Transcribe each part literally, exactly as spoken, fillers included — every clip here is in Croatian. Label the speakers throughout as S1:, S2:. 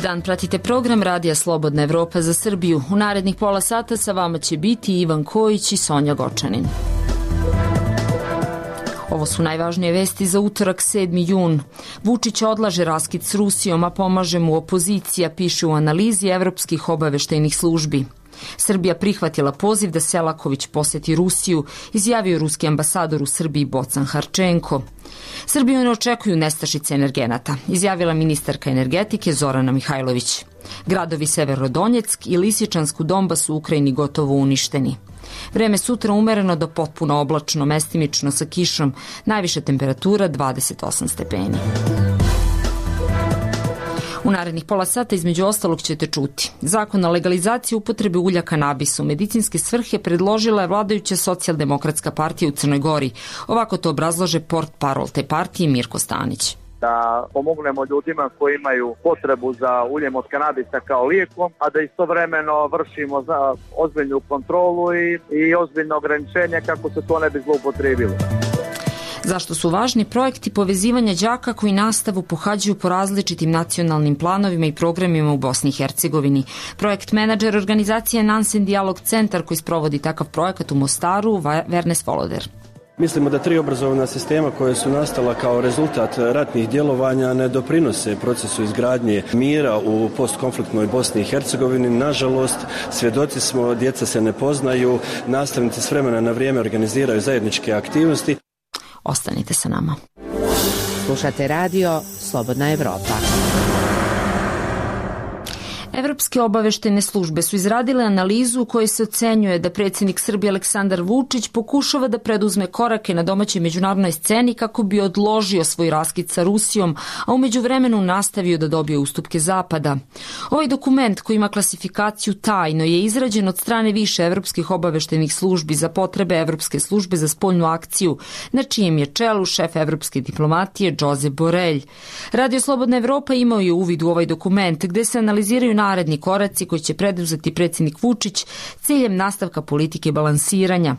S1: dan pratite program Radija Slobodna Evropa za Srbiju. U narednih pola sata sa vama će biti Ivan Kojić i Sonja Gočanin. Ovo su najvažnije vesti za utorak sedmi jun. Vučić odlaže raskid s Rusijom, a pomaže mu opozicija, piše u analizi evropskih obaveštajnih službi. Srbija prihvatila poziv da Selaković poseti Rusiju, izjavio ruski ambasador u Srbiji Bocan Harčenko. Srbiju ne očekuju nestašice energenata, izjavila ministarka energetike Zorana Mihajlović. Gradovi Severodonjeck i Lisičansk u Donbasu u Ukrajini gotovo uništeni. Vreme sutra umereno do potpuno oblačno, mestimično sa kišom, najviša temperatura dvadeset osam stepeni. U narednih pola sata između ostalog ćete čuti. Zakon o legalizaciji upotrebe ulja kanabisa u medicinske svrhe predložila je vladajuća Socijaldemokratska partija u Crnoj Gori. Ovako to obrazlaže portparol te partije Mirko Stanić.
S2: Da pomognemo ljudima koji imaju potrebu za uljem od kanabisa kao lijekom, a da istovremeno vršimo za ozbiljnu kontrolu i, i ozbiljno ograničenje kako se to ne bi zloupotrijebilo.
S1: Zašto su važni projekti povezivanja đaka koji nastavu pohađaju po različitim nacionalnim planovima i programima u Bosni i Hercegovini? Projekt menadžer organizacije Nansen Dialog centar koji sprovodi takav projekat u Mostaru, Vernes Voloder.
S3: Mislimo da tri obrazovna sistema koje su nastala kao rezultat ratnih djelovanja ne doprinose procesu izgradnje mira u postkonfliktnoj Bosni i Hercegovini. Nažalost, svjedoci smo, djeca se ne poznaju, nastavnici s vremena na vrijeme organiziraju zajedničke aktivnosti.
S1: Ostanite sa nama.
S4: Slušate radio Slobodna Evropa.
S1: Evropske obaveštajne službe su izradile analizu u kojoj se ocenjuje da predsjednik Srbije Aleksandar Vučić pokušava da preduzme korake na domaćoj međunarodnoj sceni kako bi odložio svoj raskid sa Rusijom, a u međuvremenu nastavio da dobije ustupke Zapada. Ovaj dokument koji ima klasifikaciju tajno je izrađen od strane više evropskih obaveštajnih službi za potrebe Evropske službe za spoljnu akciju, na čijem je čelu šef evropske diplomatije Josep Borrell. Radio Slobodna Evropa imao je uvid u ovaj dokument gde se analiziraju naredni koraci koji će preduzeti predsjednik Vučić ciljem nastavka politike balansiranja.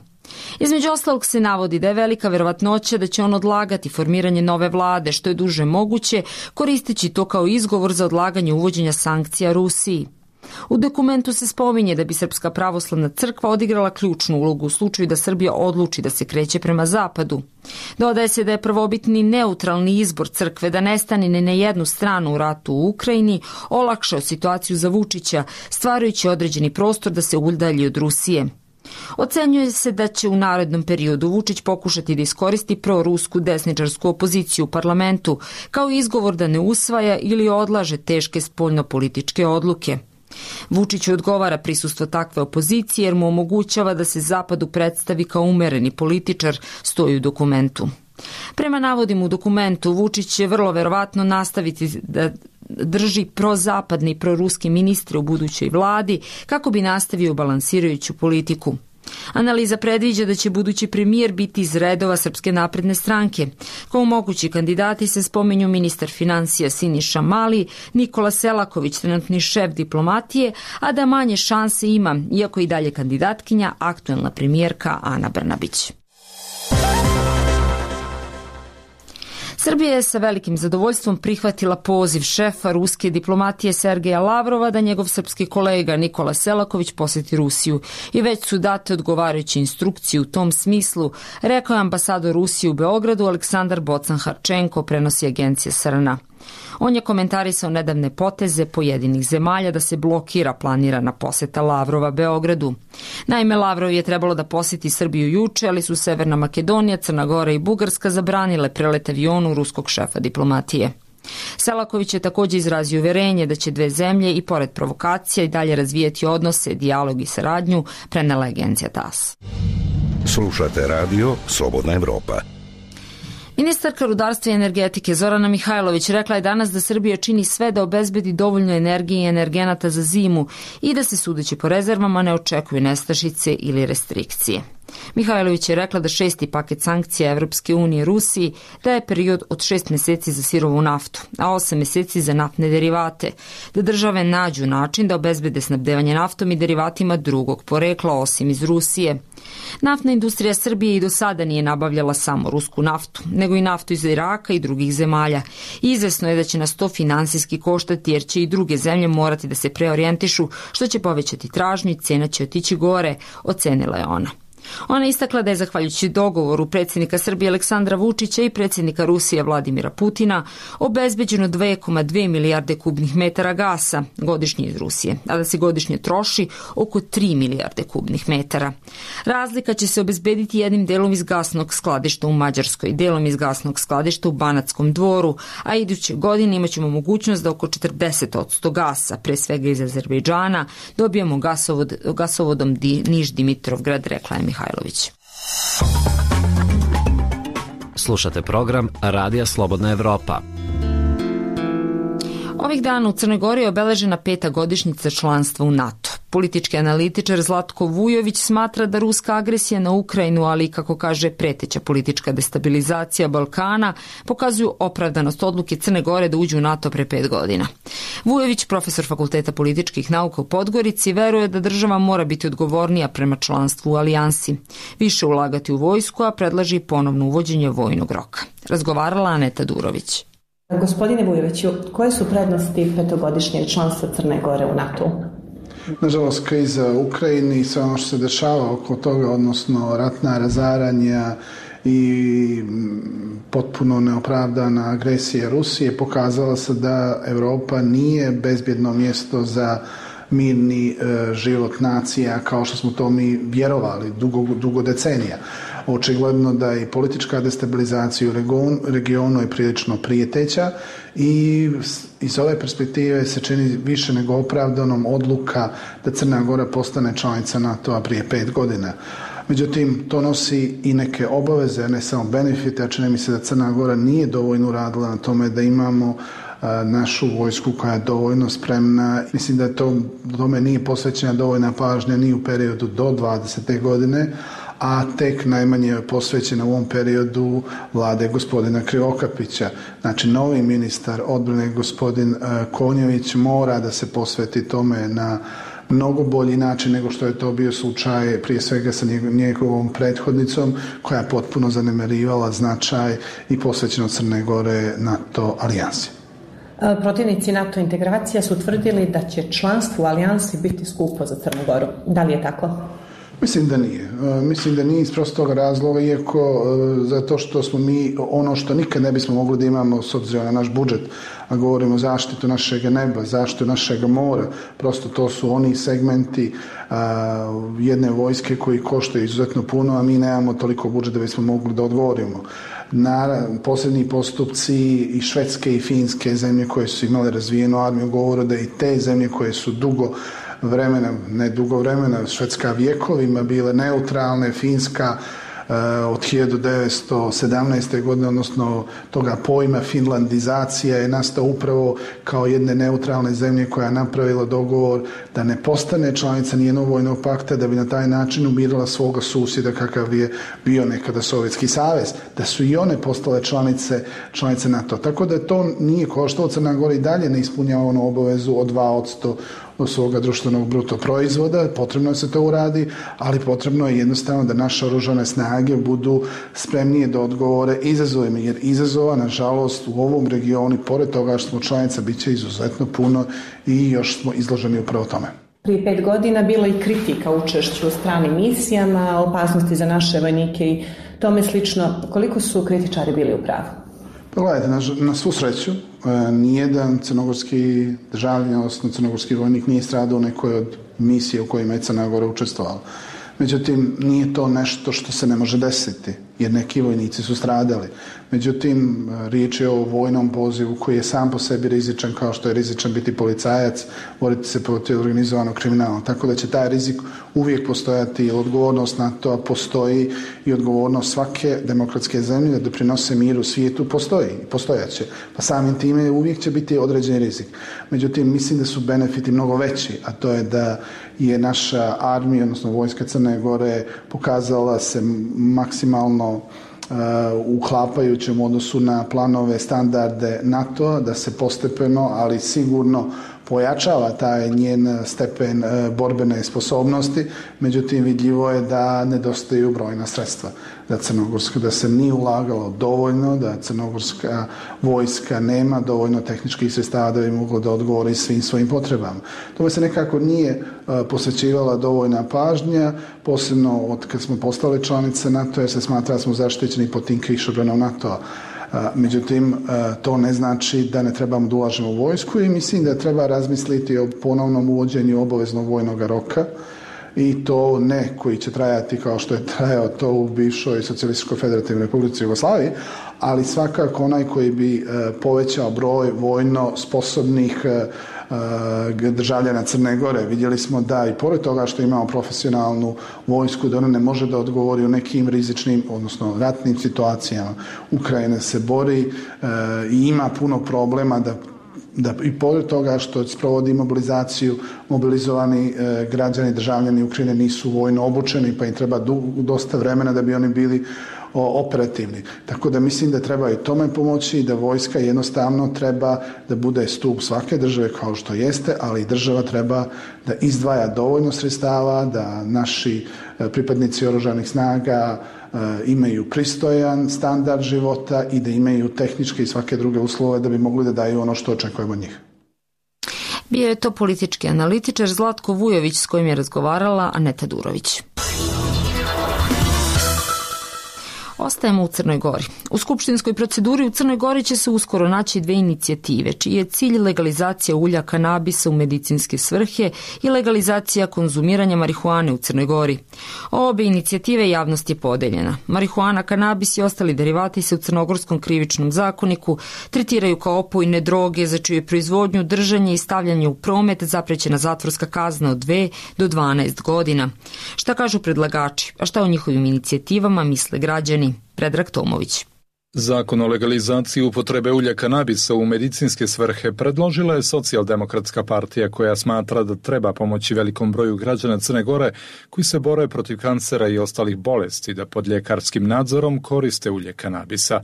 S1: Između ostalog se navodi da je velika verovatnoća da će on odlagati formiranje nove vlade što je duže moguće, koristeći to kao izgovor za odlaganje uvođenja sankcija Rusiji. U dokumentu se spominje da bi Srpska pravoslavna crkva odigrala ključnu ulogu u slučaju da Srbija odluči da se kreće prema zapadu. Dodaje se da je prvobitni neutralni izbor crkve da ne stane ni na jednu stranu u ratu u Ukrajini olakšao situaciju za Vučića, stvarajući određeni prostor da se udalji od Rusije. Ocenjuje se da će u narednom periodu Vučić pokušati da iskoristi prorusku desničarsku opoziciju u parlamentu kao izgovor da ne usvaja ili odlaže teške spoljnopolitičke odluke. Vučić odgovara prisustvo takve opozicije jer mu omogućava da se Zapadu predstavi kao umereni političar, stoji u dokumentu. Prema navodima u dokumentu, Vučić će vrlo verovatno nastaviti da drži prozapadne i proruske ministre u budućoj vladi kako bi nastavio balansirajuću politiku. Analiza predviđa da će budući premijer biti iz redova Srpske napredne stranke. Kao mogući kandidati se spominju ministar finansija Siniša Mali, Nikola Selaković, trenutni šef diplomatije, a da manje šanse ima, iako i dalje kandidatkinja, aktuelna premijerka Ana Brnabić. Srbija je sa velikim zadovoljstvom prihvatila poziv šefa ruske diplomatije Sergeja Lavrova da njegov srpski kolega Nikola Selaković poseti Rusiju i već su date odgovarajuće instrukcije u tom smislu, rekao je ambasador Rusije u Beogradu Aleksandar Bocan Harčenko, prenosi agencija S R N. On je komentarisao nedavne poteze pojedinih zemalja da se blokira planirana poseta Lavrova Beogradu. Naime, Lavrov je trebalo da poseti Srbiju juče, ali su Severna Makedonija, Crna Gora i Bugarska zabranile prelet avionu ruskog šefa diplomatije. Selaković je također izrazio uverenje da će dve zemlje i pored provokacija i dalje razvijeti odnose, dijalog i saradnju, prenela agencija T A S.
S5: Slušate radio Slobodna Evropa.
S1: Ministarka rudarstva i energetike Zorana Mihajlović rekla je danas da Srbija čini sve da obezbedi dovoljno energije i energenata za zimu i da se sudeći po rezervama ne očekuju nestašice ili restrikcije. Mihajlović je rekla da šesti paket sankcija Evropske unije Rusiji daje period od šest mjeseci za sirovu naftu, a osam mjeseci za naftne derivate, da države nađu način da obezbede snabdevanje naftom i derivatima drugog porekla osim iz Rusije. Naftna industrija Srbije i do sada nije nabavljala samo rusku naftu, nego i naftu iz Iraka i drugih zemalja. Izvesno je da će nas to finansijski koštati jer će i druge zemlje morati da se preorijentišu, što će povećati tražnju i cena će otići gore, ocenila je ona. Ona istakla da je zahvaljujući dogovoru predsjednika Srbije Aleksandra Vučića i predsjednika Rusije Vladimira Putina obezbeđeno dve zarez dve milijarde kubnih metara gasa godišnje iz Rusije, a da se godišnje troši oko tri milijarde kubnih metara. Razlika će se obezbediti jednim delom iz gasnog skladišta u Mađarskoj, delom iz gasnog skladišta u Banatskom Dvoru, a iduće godine imaćemo mogućnost da oko četrdeset posto gasa, pre svega iz Azerbejdžana, dobijemo gasovod, gasovodom Di, Niš-Dimitrovgrad, rekla je Mihajlović.
S6: Slušate program Radija Slobodna Evropa.
S1: Ovih dana u Crnoj Gori je obeležena peta godišnjica članstva u NATO. Politički analitičar Zlatko Vujović smatra da ruska agresija na Ukrajinu, ali i, kako kaže, preteća politička destabilizacija Balkana, pokazuju opravdanost odluke Crne Gore da uđu u NATO pre pet godina. Vujović, profesor Fakulteta političkih nauka u Podgorici, veruje da država mora biti odgovornija prema članstvu u alijansi, više ulagati u vojsku, a predlaži ponovno uvođenje vojnog roka. Razgovarala Aneta Durović.
S7: Gospodine Vujoviću, koje su prednosti petogodišnjeg članstva Crne Gore u NATO-u?
S8: Nažalost, kriza u Ukrajini i sve ono što se dešava oko toga, odnosno ratna razaranja i potpuno neopravdana agresija Rusije, pokazala se da Evropa nije bezbjedno mjesto za mirni e, život nacija kao što smo to mi vjerovali dugo, dugo decenija. Očigledno da i politička destabilizacija u regionu, regionu je prilično prijeteća i iz ove perspektive se čini više nego opravdanom odluka da Crna Gora postane članica NATO-a prije pet godina. Međutim, to nosi i neke obaveze, ne samo benefite, a čini mi se da Crna Gora nije dovoljno uradila na tome da imamo našu vojsku koja je dovoljno spremna. Mislim da to tome nije posvećena dovoljna pažnja ni u periodu do dvadesete godine, a tek najmanje je posvećena u ovom periodu vlade gospodina Krivokapića. Znači, novi ministar odbrane gospodin Konjović mora da se posveti tome na mnogo bolji način nego što je to bio slučaj prije svega sa njegovom prethodnicom koja je potpuno zanemarivala značaj i posvećenost Crne Gore NATO alijansi.
S7: Protivnici NATO integracija su tvrdili da će članstvo u alijansi biti skupo za Crnu Goru. Da li je tako?
S8: Mislim da nije. Mislim da nije iz prostog razloga, iako zato što smo mi ono što nikad ne bismo mogli da imamo s obzirom na naš budžet, a govorimo o zaštitu našeg neba, zaštitu našeg mora, prosto to su oni segmenti a, jedne vojske koji koštaju izuzetno puno, a mi nemamo toliko budžeta da bismo mogli da odgovorimo. Na posljednji postupci i Švedske i Finske zemlje koje su imale razvijenu armiju govore da i te zemlje koje su dugo vremena, ne dugo vremena, Švedska vjekovima bile neutralne, Finska uh, od hiljadu devetsto sedamnaeste. godine, odnosno toga pojma finlandizacija je nastao upravo kao jedne neutralne zemlje koja je napravila dogovor da ne postane članica nijednog vojnog pakta, da bi na taj način umirila svoga susjeda kakav je bio nekada Sovjetski savez, da su i one postale članice, članice NATO. Tako da to nije koštalo, Crna Gora i dalje ne ispunjava onu obavezu od dva posto do svoga društvenog bruto proizvoda, potrebno je se to uradi, ali potrebno je jednostavno da naše oružane snage budu spremnije da odgovore izazovima, jer izazova, nažalost, u ovom regionu, pored toga što smo članica, bit će izuzetno puno i još smo izloženi upravo tome.
S7: Prije pet godina bilo i kritika učešću u stranim misijama, opasnosti za naše vojnike i tome slično. Koliko su kritičari bili u pravu?
S8: Gledajte, na, na svu sreću, e, nijedan crnogorski državljan, odnosno crnogorski vojnik nije stradao u nekoj od misije u kojima je Crna Gora učestvovala. Međutim, nije to nešto što se ne može desiti, jer neki vojnici su stradali. Međutim, riječ je o vojnom pozivu koji je sam po sebi rizičan, kao što je rizičan biti policajac, boriti se protiv organizovanog kriminala. Tako da će taj rizik uvijek postojati, jer odgovornost NATO postoji i odgovornost svake demokratske zemlje da doprinose miru u svijetu postoji i postojaće. Pa samim time uvijek će biti određeni rizik. Međutim, mislim da su benefiti mnogo veći, a to je da je naša armija, odnosno vojska Crne Gore, pokazala se maksimalno uh, uklapajućem u odnosu na planove, standarde NATO-a, da se postepeno, ali sigurno pojačava taj njen stepen borbene sposobnosti, međutim vidljivo je da nedostaju brojna sredstva. Da crnogorska, da se nije ulagalo dovoljno, da crnogorska vojska nema dovoljno tehničkih sredstava da bi moglo da odgovori svim svojim potrebama. Tome se nekako nije posvećivala dovoljna pažnja, posebno od kad smo postali članice NATO, jer se smatra da smo zaštićeni pod tim kišobranom NATO-a. Međutim, to ne znači da ne trebamo da ulažemo u vojsku i mislim da treba razmisliti o ponovnom uvođenju obaveznog vojnog roka i to ne koji će trajati kao što je trajao to u bivšoj Socijalističkoj Federativnoj Republici Jugoslaviji, ali svakako onaj koji bi povećao broj vojno sposobnih državljana Crne Gore. Vidjeli smo da i pored toga što imamo profesionalnu vojsku, da ona ne može da odgovori u nekim rizičnim, odnosno ratnim situacijama. Ukrajina se bori i ima puno problema da da i pored toga što sprovodi mobilizaciju, mobilizovani e, građani, državljani Ukrajine nisu vojno obučeni, pa im treba du, dosta vremena da bi oni bili o, operativni. Tako da mislim da treba i tome pomoći i da vojska jednostavno treba da bude stup svake države kao što jeste, ali i država treba da izdvaja dovoljno sredstava, da naši e, pripadnici oružanih snaga imaju pristojan standard života i da imaju tehničke i svake druge uslove da bi mogli da daju ono što očekujemo od njih.
S1: Bio je to politički analitičar Zlatko Vujović s kojim je razgovarala Aneta Durović. Ostajemo u Crnoj Gori. U skupštinskoj proceduri u Crnoj Gori će se uskoro naći dve inicijative, čiji je cilj legalizacija ulja kanabisa u medicinske svrhe i legalizacija konzumiranja marihuane u Crnoj Gori. Obe inicijative javnost je podeljena. Marihuana, kanabis i ostali derivati se u crnogorskom krivičnom zakoniku tretiraju kao opojne droge za čiju je proizvodnju, držanje i stavljanje u promet zaprećena zatvorska kazna od dve do dvanaest godina. Šta kažu predlagači, a šta o njihovim inicijativama misle građani? Predrag Tomović.
S9: Zakon o legalizaciji upotrebe ulja kanabisa u medicinske svrhe predložila je Socijaldemokratska partija koja smatra da treba pomoći velikom broju građana Crne Gore koji se bore protiv kancera i ostalih bolesti da pod ljekarskim nadzorom koriste ulje kanabisa.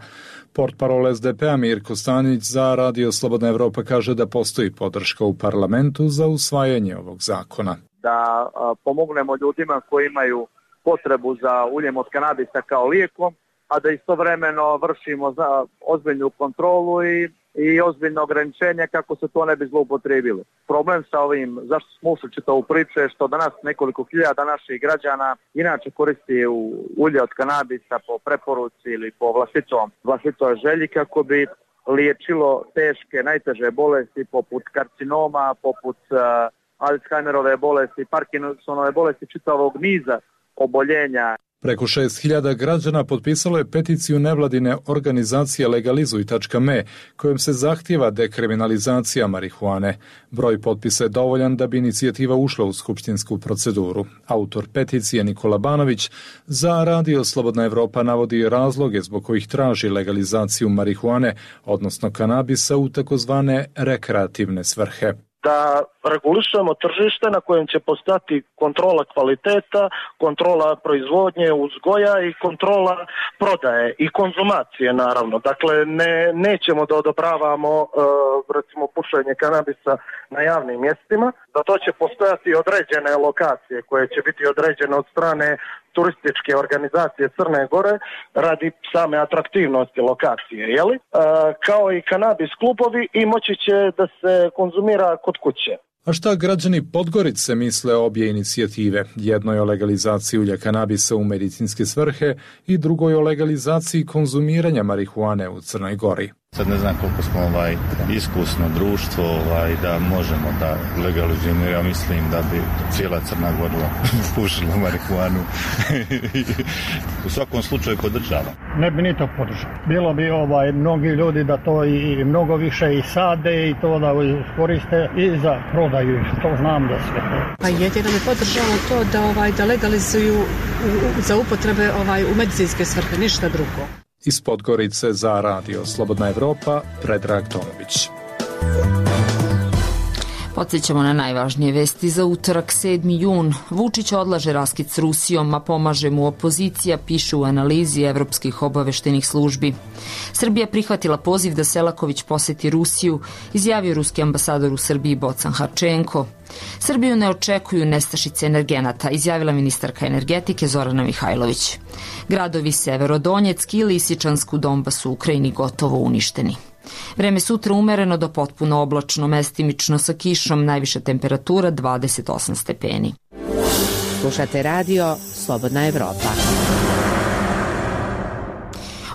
S9: Portparol es de pe-a Mirko Stanić za Radio Slobodna Evropa kaže da postoji podrška u parlamentu za usvajanje ovog zakona.
S2: Da a, pomognemo ljudima koji imaju potrebu za uljem od kanabisa kao lijekom, a da istovremeno vršimo za ozbiljnu kontrolu i, i ozbiljno ograničenje kako se to ne bi zloupotrijebilo. Problem sa ovim, zašto smo ušli čitavu priču, je što danas nekoliko hiljada naših građana inače koristi u ulje od kanabisa po preporuci ili po vlastitom, vlastitoj želji kako bi liječilo teške, najteže bolesti poput karcinoma, poput uh, Alzheimerove bolesti, Parkinsonove bolesti, čitavog niza oboljenja.
S9: Preko šest hiljada građana potpisalo je peticiju nevladine organizacije legalizuj tačka me kojom se zahtijeva dekriminalizacija marihuane. Broj potpisa je dovoljan da bi inicijativa ušla u skupštinsku proceduru. Autor peticije Nikola Banović za Radio Slobodna Evropa navodi razloge zbog kojih traži legalizaciju marihuane, odnosno kanabisa u takozvane rekreativne svrhe.
S10: Da regulišemo tržište na kojem će postati kontrola kvaliteta, kontrola proizvodnje, uzgoja i kontrola prodaje i konzumacije naravno. Dakle, ne, nećemo da odobravamo e, recimo pušenje kanabisa na javnim mjestima. Za to će postojati određene lokacije koje će biti određene od strane turističke organizacije Crne Gore radi same atraktivnosti lokacije, jeli? E, kao i kanabis klubovi i moći će da se konzumira kod kuće.
S9: A šta građani Podgorice misle o obje inicijative? Jednoj o legalizaciji ulja kanabisa u medicinske svrhe i drugoj o legalizaciji konzumiranja marihuane u Crnoj Gori.
S11: Sad ne znam koliko smo ovaj, iskusno društvo ovaj, da možemo da legalizujemo. Ja mislim da bi cijela Crna Gora pušila marihuanu. U svakom slučaju podržava.
S12: Ne bi ni to podržao. Bilo bi ovaj, mnogi ljudi da to i mnogo više i sade i to da koriste i za prodaju. To znam da sve.
S13: Pa jedino bi podržao to da, ovaj, da legalizuju u, za upotrebe ovaj, u medicinske svrhe, ništa drugo.
S9: Iz Podgorice za Radio Slobodna Evropa, Predrag Tomović.
S1: Podsjećamo na najvažnije vesti za utorak sedmi jun. Vučić odlaže raskid s Rusijom, a pomaže mu opozicija, piše u analizi evropskih obaveštenih službi. Srbija prihvatila poziv da Selaković poseti Rusiju, izjavio ruski ambasador u Srbiji Bocan Harčenko. Srbiju ne očekuju nestašice energenata, izjavila ministarka energetike Zorana Mihajlović. Gradovi Severodonjeck i Lisičansk u Donbasu u Ukrajini gotovo uništeni. Vreme sutra umereno do potpuno oblačno, mestimično sa kišom, najviša temperatura dvadeset osam stepeni.
S4: Slušate radio Slobodna Evropa.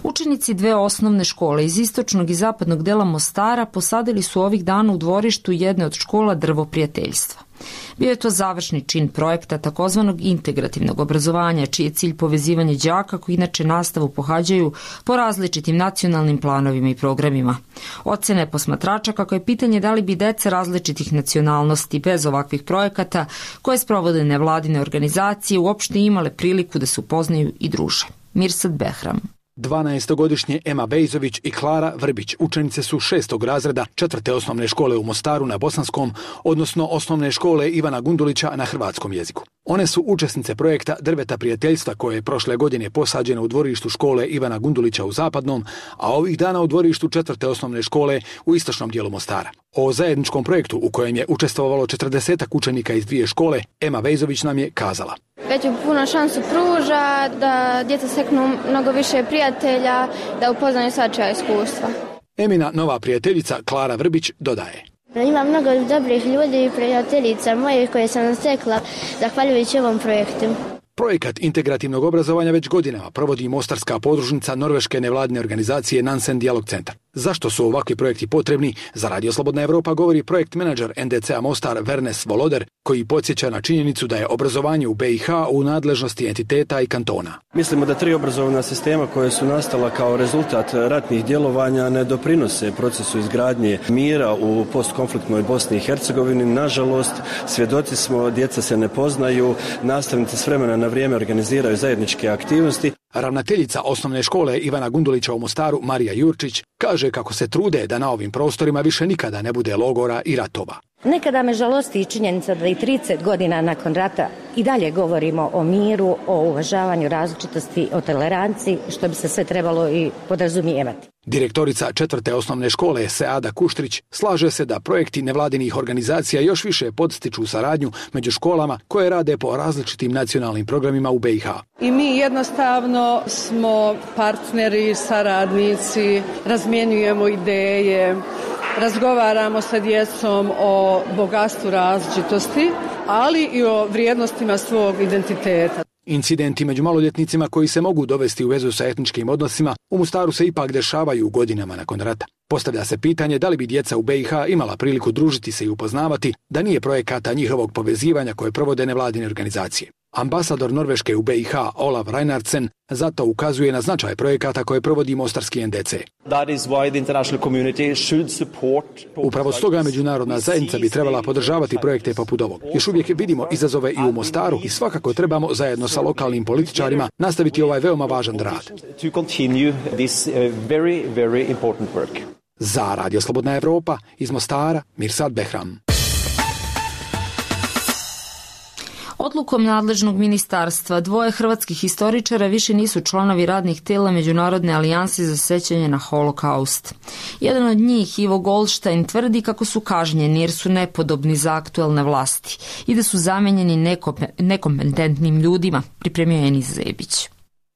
S1: Učenici dve osnovne škole iz istočnog i zapadnog dela Mostara posadili su ovih dana u dvorištu jedne od škola drvo prijateljstva. Bio je to završni čin projekta takozvanog integrativnog obrazovanja, čiji je cilj povezivanje đaka koji inače nastavu pohađaju po različitim nacionalnim planovima i programima. Ocene posmatrača kako je pitanje da li bi deca različitih nacionalnosti bez ovakvih projekata koje sprovode nevladine organizacije uopšte imale priliku da se upoznaju i druže. Mirsad Behram.
S14: dvanaestogodišnje Ema Bejzović i Klara Vrbić učenice su šestog razreda četvrte osnovne škole u Mostaru na bosanskom, odnosno osnovne škole Ivana Gundulića na hrvatskom jeziku. One su učesnice projekta Drveta prijateljstva koje je prošle godine posađeno u dvorištu škole Ivana Gundulića u zapadnom, a ovih dana u dvorištu četvrte osnovne škole u istočnom dijelu Mostara. O zajedničkom projektu u kojem je učestvovalo četrdesetak učenika iz dvije škole, Ema Bejzović nam je kazala.
S15: Već puno šansu pruža da djeca steknu mnogo više prijatelja, da upoznaju svačija iskustva.
S14: Emina nova prijateljica Klara Vrbić dodaje.
S15: Ima mnogo dobrih ljudi i prijateljica mojih koje sam stekla zahvaljujući ovom projektu.
S14: Projekat integrativnog obrazovanja već godinama provodi mostarska podružnica norveške nevladine organizacije Nansen Dialog Centar. Zašto su ovakvi projekti potrebni? Za Radio Slobodna Evropa govori projekt menadžer en de ce a Mostar Vernes Voloder, koji podsjeća na činjenicu da je obrazovanje u be i ha u nadležnosti entiteta i kantona.
S3: Mislimo da tri obrazovna sistema koje su nastala kao rezultat ratnih djelovanja ne doprinose procesu izgradnje mira u postkonfliktnoj Bosni i Hercegovini. Nažalost, svjedoci smo, djeca se ne poznaju, nastavnici s vremena na vrijeme organiziraju zajedničke aktivnosti.
S14: Ravnateljica osnovne škole Ivana Gundulića u Mostaru, Marija Jurčić, kaže kako se trude da na ovim prostorima više nikada ne bude logora i ratova.
S16: Nekada me žalosti i činjenica da i trideset godina nakon rata i dalje govorimo o miru, o uvažavanju različitosti, o toleranciji, što bi se sve trebalo i podrazumijevati.
S14: Direktorica četvrte osnovne škole Seada Kuštrić slaže se da projekti nevladinih organizacija još više podstiču saradnju među školama koje rade po različitim nacionalnim programima u be i ha.
S17: I mi jednostavno smo partneri, saradnici, razmjenjujemo ideje, razgovaramo sa djecom o bogatstvu različitosti, ali i o vrijednostima svog identiteta.
S14: Incidenti među maloljetnicima koji se mogu dovesti u vezu sa etničkim odnosima u Mostaru se ipak dešavaju godinama nakon rata. Postavlja se pitanje da li bi djeca u be i ha imala priliku družiti se i upoznavati da nije projekata njihovog povezivanja koje provode nevladine organizacije. Ambasador Norveške u be i ha Olav Reinhardsen zato ukazuje na značaj projekata koje provodi mostarski en de ce. Upravo stoga međunarodna zajednica bi trebala podržavati projekte poput ovog. Još uvijek vidimo izazove i u Mostaru i svakako trebamo zajedno sa lokalnim političarima nastaviti ovaj veoma važan rad. Za Radio Slobodna Evropa iz Mostara, Mirsad Behram.
S1: Odlukom nadležnog ministarstva dvoje hrvatskih historičara više nisu članovi radnih tela Međunarodne alijanse za sećanje na holokaust. Jedan od njih, Ivo Goldstein, tvrdi kako su kažnjeni jer su nepodobni za aktuelne vlasti i da su zamenjeni nekompetentnim ljudima, pripremio je Enis Zebić.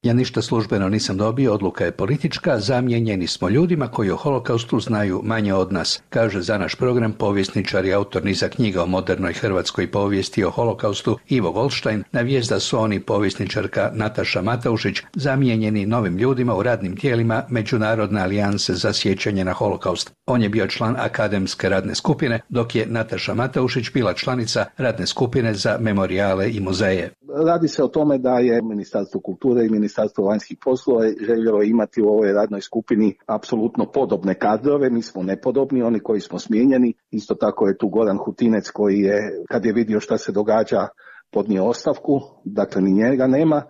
S18: Ja ništa službeno nisam dobio, odluka je politička, zamijenjeni smo ljudima koji o holokaustu znaju manje od nas, kaže za naš program povjesničar i autor niza knjiga o modernoj hrvatskoj povijesti o holokaustu Ivo Goldstein, na vijest da su oni povjesničarka Nataša Mataušić zamijenjeni novim ljudima u radnim tijelima Međunarodne alijanse za sjećanje na holokaust. On je bio član akademske radne skupine, dok je Nataša Mataušić bila članica radne skupine za memorijale i muzeje.
S19: Radi se o tome da je Ministarstvo kulture i Ministarstvo vanjskih poslova željelo imati u ovoj radnoj skupini apsolutno podobne kadrove. Mi smo nepodobni, oni koji smo smijenjeni. Isto tako je tu Goran Hutinec koji je, kad je vidio šta se događa, podnio ostavku. Dakle, ni njega nema.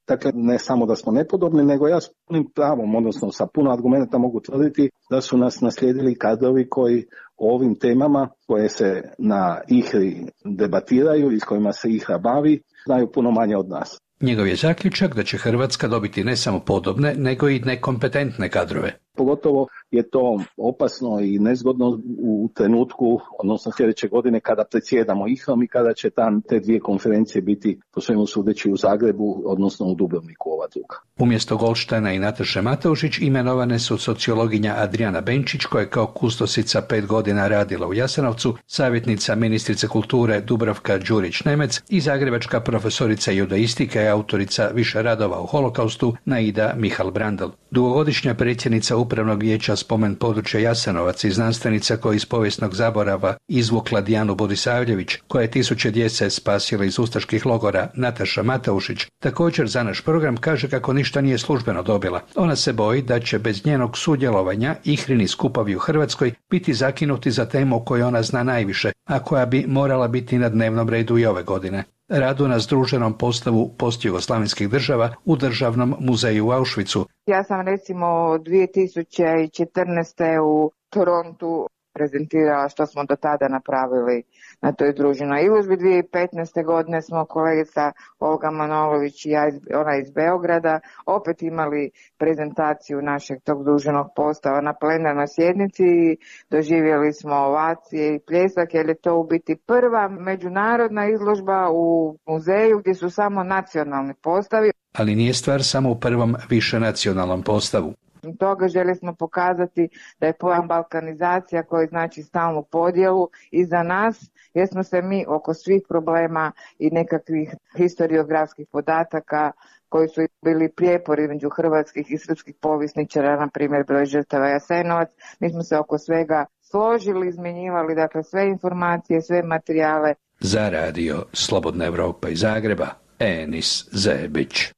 S19: Dakle, ne samo da smo nepodobni, nego ja s punim pravom, odnosno sa puno argumenta mogu tvrditi da su nas naslijedili kadrovi koji o ovim temama koje se na ihri debatiraju i s kojima se ihra bavi, znaju puno manje od nas.
S18: Njegov je zaključak da će Hrvatska dobiti ne samo podobne, nego i nekompetentne kadrove.
S19: Pogotovo je to opasno i nezgodno u trenutku, odnosno sljedeće godine kada predsjedamo ihrom i kada će tam te dvije konferencije biti po svemu sudeći u Zagrebu, odnosno u Dubrovniku ova druga.
S18: Umjesto Goldsteina i Nataše Mateušić imenovane su sociologinja Adriana Benčić, koja je kao kustosica pet godina radila u Jasenovcu, savjetnica ministrice kulture Dubravka Đurić-Nemec i zagrebačka profesorica judaistike i autorica više radova o holokaustu Naida Mihal Brandl. Dugogodišnja predsjednica Upravnog vijeća Spomen područja Jasenovac i znanstvenica koja iz povijesnog zaborava izvukla Dijanu Budisavljević, koja je tisuće djece spasila iz ustaških logora, Nataša Mateušić, također za naš program kaže kako ništa nije službeno dobila. Ona se boji da će bez njenog sudjelovanja ihrini skupovi u Hrvatskoj biti zakinuti za temu o kojoj ona zna najviše, a koja bi morala biti na dnevnom redu i ove godine. Radu na združenom postavu postjugoslavenskih država u Državnom muzeju u Auschwitzu.
S20: Ja sam recimo dvije tisuće četrnaeste. u Torontu prezentirala što smo do tada napravili na toj druženoj izložbi. dvije tisuće petnaeste. godine smo kolegica Olga Manolović i ja, ona iz Beograda, opet imali prezentaciju našeg tog druženog postava na plenarnoj sjednici i doživjeli smo ovacije i pljesak, jer je to u biti prva međunarodna izložba u muzeju gdje su samo nacionalni postavi.
S18: Ali nije stvar samo u prvom višenacionalnom postavu.
S20: Toga želi smo pokazati da je pojam balkanizacija koji znači stalnu podjelu i za nas, jer smo se mi oko svih problema i nekakvih historiografskih podataka koji su bili prijepori između hrvatskih i srpskih povjesničara, na primjer broj žrtava Jasenovac, mi smo se oko svega složili, izmjenjivali dakle sve informacije, sve materijale.
S18: Za radio Slobodna Evropa iz Zagreba, Enis Zebić.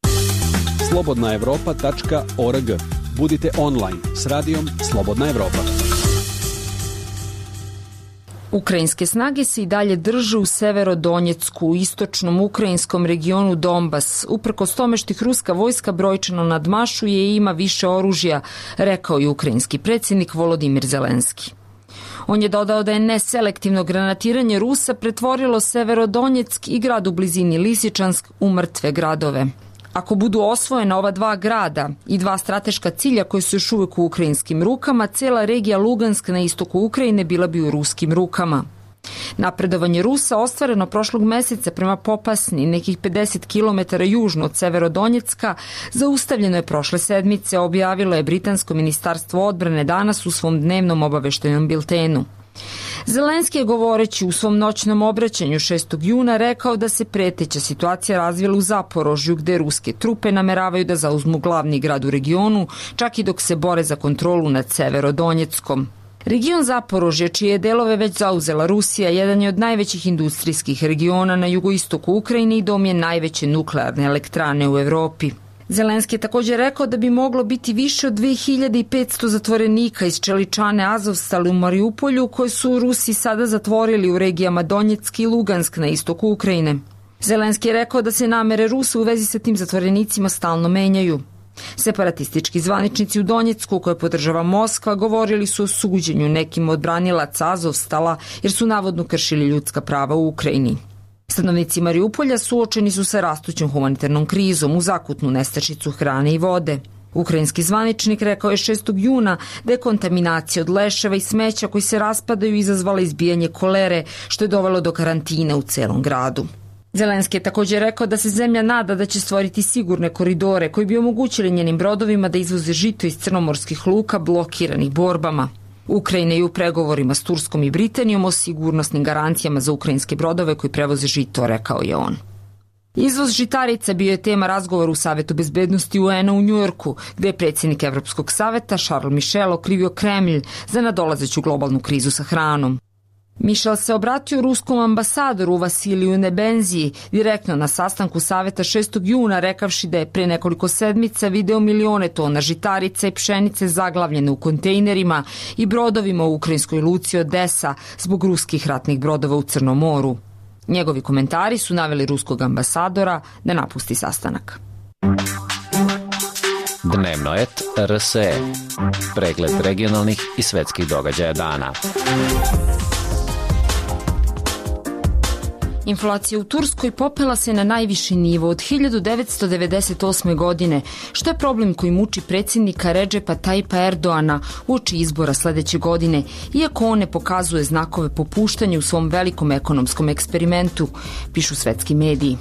S21: slobodna evropa tačka org. Budite online s radijom Slobodna Evropa.
S1: Ukrajinske snage se i dalje drže u Severodonjecku, u istočnom ukrajinskom regionu Donbas. Uprkos tome što ih ruska vojska brojčano nadmašuje i ima više oružja, rekao je ukrajinski predsjednik Volodimir Zelenski. On je dodao da je neselektivno granatiranje Rusa pretvorilo Severodonjeck i grad u blizini Lisičansk u mrtve gradove. Ako budu osvojena ova dva grada i dva strateška cilja koji su još uvijek u ukrajinskim rukama, cijela regija Lugansk na istoku Ukrajine bila bi u ruskim rukama. Napredovanje Rusa ostvareno prošlog mjeseca prema Popasni, nekih pedeset kilometara južno od Severodonjecka, zaustavljeno je prošle sedmice, objavilo je Britansko ministarstvo odbrane danas u svom dnevnom obaveštajnom biltenu. Zelenski je govoreći u svom noćnom obraćanju šestog juna rekao da se preteća situacija razvila u Zaporožju, gdje ruske trupe nameravaju da zauzmu glavni grad u regionu, čak i dok se bore za kontrolu nad Severodonjeckom. Region Zaporožje, čije delove već zauzela Rusija, jedan je od najvećih industrijskih regiona na jugoistoku Ukrajine i dom je najveće nuklearne elektrane u Europi. Zelenski je također rekao da bi moglo biti više od dve hiljade petsto zatvorenika iz čeličane Azovstal u Mariupolju, koje su Rusi sada zatvorili u regijama Donjeck i Lugansk na istoku Ukrajine. Zelenski je rekao da se namere Rusa u vezi sa tim zatvorenicima stalno menjaju. Separatistički zvaničnici u Donjecku, koje podržava Moskva, govorili su o suđenju nekim od branilaca Azovstala jer su navodno kršili ljudska prava u Ukrajini. Stanovnici Mariupolja suočeni su sa rastućom humanitarnom krizom u zakutnu nestašicu hrane i vode. Ukrajinski zvaničnik rekao je šestog juna da je kontaminacija od leševa i smeća koji se raspadaju izazvala izbijanje kolere, što je dovelo do karantina u celom gradu. Zelenski je također rekao da se zemlja nada da će stvoriti sigurne koridore koji bi omogućili njenim brodovima da izvoze žito iz crnomorskih luka blokiranih borbama. Ukrajina je u pregovorima s Turskom i Britanijom o sigurnosnim garancijama za ukrajinske brodove koji prevoze žito, rekao je on. Izvoz žitarica bio je tema razgovora u Savetu bezbednosti U N-a u Njujorku, gdje je predsjednik Evropskog saveta Charles Michel okrivio Kremlj za nadolazeću globalnu krizu sa hranom. Michel se obratio ruskom ambasadoru Vasiliju Nebenziji direktno na sastanku Saveta šestog juna, rekavši da je pre nekoliko sedmica video milione tona žitarica i pšenice zaglavljene u kontejnerima i brodovima u ukrajinskoj luci Odesa zbog ruskih ratnih brodova u Crnom moru. Njegovi komentari su naveli ruskog ambasadora da napusti sastanak.
S6: Dnevno et R S E. Pregled regionalnih i svetskih događaja dana.
S1: Inflacija u Turskoj popela se na najviši nivo od hiljadu devetsto devedeset osme. godine, što je problem koji muči predsjednika Redžepa Tajpa Erdoana uoči izbora sledeće godine, iako on ne pokazuje znakove popuštanja u svom velikom ekonomskom eksperimentu, pišu svetski mediji.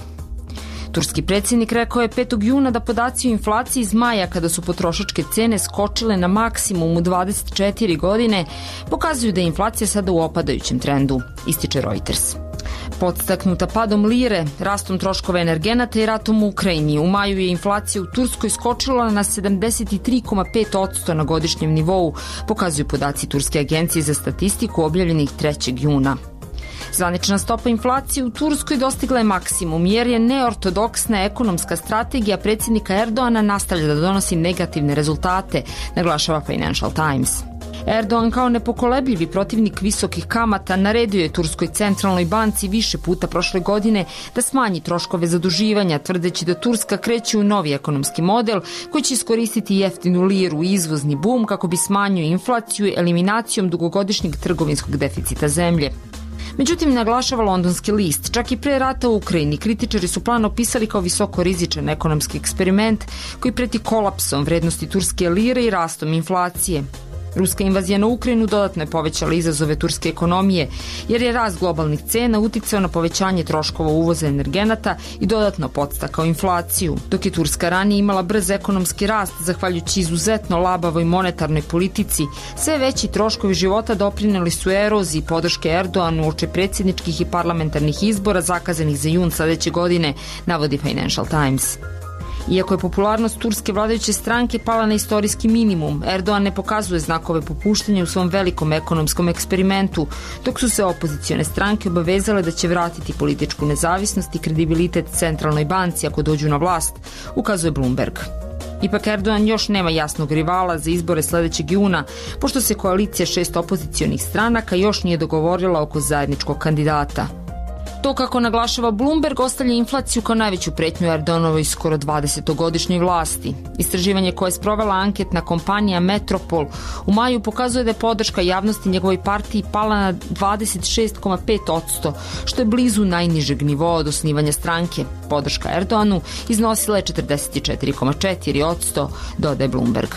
S1: Turski predsjednik rekao je petog juna da podaci o inflaciji iz maja, kada su potrošačke cene skočile na maksimum u dvadeset četiri godine, pokazuju da je inflacija sada u opadajućem trendu, ističe Reuters. Podstaknuta padom lire, rastom troškova energenata i ratom u Ukrajini, u maju je inflacija u Turskoj skočila na sedamdeset tri zarez pet posto na godišnjem nivou, pokazuju podaci Turske agencije za statistiku objavljenih trećeg juna. Zvanična stopa inflacije u Turskoj dostigla je maksimum jer je neortodoksna ekonomska strategija predsjednika Erdoana nastavlja da donosi negativne rezultate, naglašava Financial Times. Erdogan kao nepokolebljivi protivnik visokih kamata naredio je Turskoj centralnoj banci više puta prošle godine da smanji troškove zaduživanja, tvrdeći da Turska kreće u novi ekonomski model koji će iskoristiti jeftinu liru i izvozni bum kako bi smanjio inflaciju eliminacijom dugogodišnjeg trgovinskog deficita zemlje. Međutim, naglašava londonski list, čak i pre rata u Ukrajini kritičari su plan opisali kao visoko rizičan ekonomski eksperiment koji preti kolapsom vrednosti turske lire i rastom inflacije. Ruska invazija na Ukrajinu dodatno je povećala izazove turske ekonomije, jer je rast globalnih cena uticao na povećanje troškova uvoza energenata i dodatno podstakao inflaciju. Dok je Turska ranije imala brz ekonomski rast, zahvaljujući izuzetno labavoj monetarnoj politici, sve veći troškovi života doprineli su eroziji podrške Erdoanu uoči predsjedničkih i parlamentarnih izbora zakazanih za jun sledeće godine, navodi Financial Times. Iako je popularnost turske vladajuće stranke pala na istorijski minimum, Erdogan ne pokazuje znakove popuštanja u svom velikom ekonomskom eksperimentu, dok su se opozicione stranke obavezale da će vratiti političku nezavisnost i kredibilitet centralnoj banci ako dođu na vlast, ukazuje Bloomberg. Ipak Erdogan još nema jasnog rivala za izbore sledećeg juna, pošto se koalicija šest opozicionih stranaka još nije dogovorila oko zajedničkog kandidata. To, kako naglašava Bloomberg, ostavlja inflaciju kao najveću pretnju Erdoganovoj skoro dvadesetogodišnjoj vlasti. Istraživanje koje je sprovela anketna kompanija Metropol u maju pokazuje da je podrška javnosti njegovoj partiji pala na dvadeset šest zarez pet posto, što je blizu najnižeg nivoa od osnivanja stranke. Podrška Erdoganu iznosila je četrdeset četiri zarez četiri posto, dodaje Bloomberg.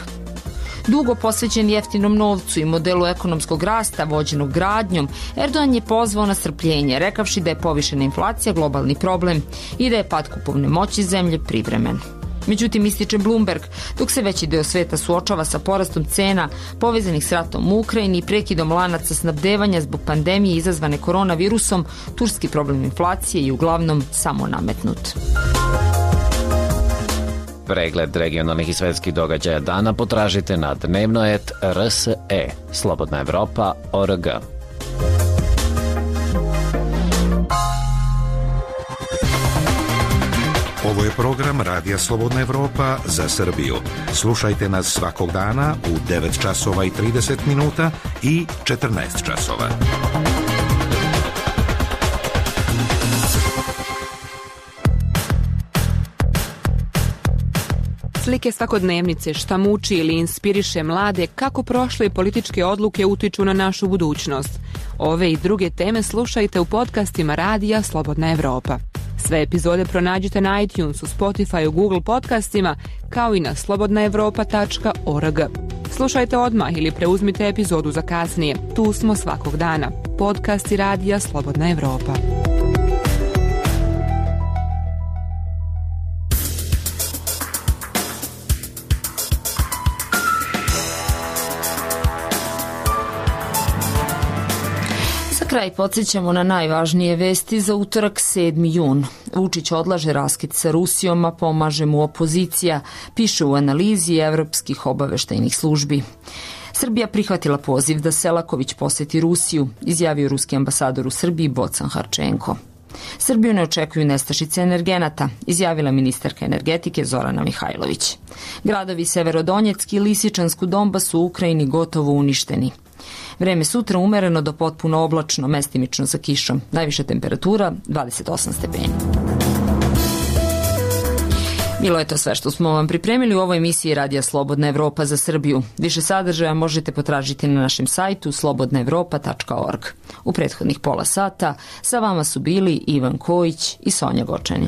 S1: Dugo posvećen jeftinom novcu i modelu ekonomskog rasta vođenog gradnjom, Erdogan je pozvao na strpljenje, rekavši da je povišena inflacija globalni problem i da je pad kupovne moći zemlje privremen. Međutim, ističe Bloomberg, dok se veći deo sveta suočava sa porastom cena povezanih s ratom u Ukrajini i prekidom lanaca snabdevanja zbog pandemije izazvane koronavirusom, turski problem inflacije je uglavnom samo nametnut.
S6: Pregled regionalnih i svetskih događaja dana potražite na dnevno et R S E, Slobodna Evropa tačka org.
S5: Ovo je program Radija Slobodna Evropa za Srbiju. Slušajte nas svakog dana u devet časova i trideset minuta i četrnaest časova.
S22: Slike svakodnevnice, šta muči ili inspiriše mlade, kako prošle političke odluke utiču na našu budućnost. Ove i druge teme slušajte u podcastima Radija Slobodna Evropa. Sve epizode pronađite na iTunesu, Spotifyu, Google podcastima, kao i na slobodna evropa tačka org. Slušajte odmah ili preuzmite epizodu za kasnije. Tu smo svakog dana. Podcasti Radija Slobodna Evropa.
S1: Kraj podsjećamo na najvažnije vesti za utorak sedmi jun. Vučić odlaže raskid sa Rusijom, a pomaže mu opozicija, piše u analizi evropskih obaveštajnih službi. Srbija prihvatila poziv da Selaković poseti Rusiju, izjavio ruski ambasador u Srbiji Bocan Harčenko. Srbiju ne očekuju nestašice energenata, izjavila ministarka energetike Zorana Mihajlović. Gradovi Severodonjecki i Lisičansku Donbas su u Ukrajini gotovo uništeni. Vreme sutra umereno do potpuno oblačno, mestimično sa kišom. Najviša temperatura dvadeset osam stepeni. Bilo je to sve što smo vam pripremili u ovoj emisiji Radija Slobodna Evropa za Srbiju. Više sadržaja možete potražiti na našem sajtu slobodna evropa tačka org. U prethodnih pola sata sa vama su bili Ivan Kojić i Sonja Gočani.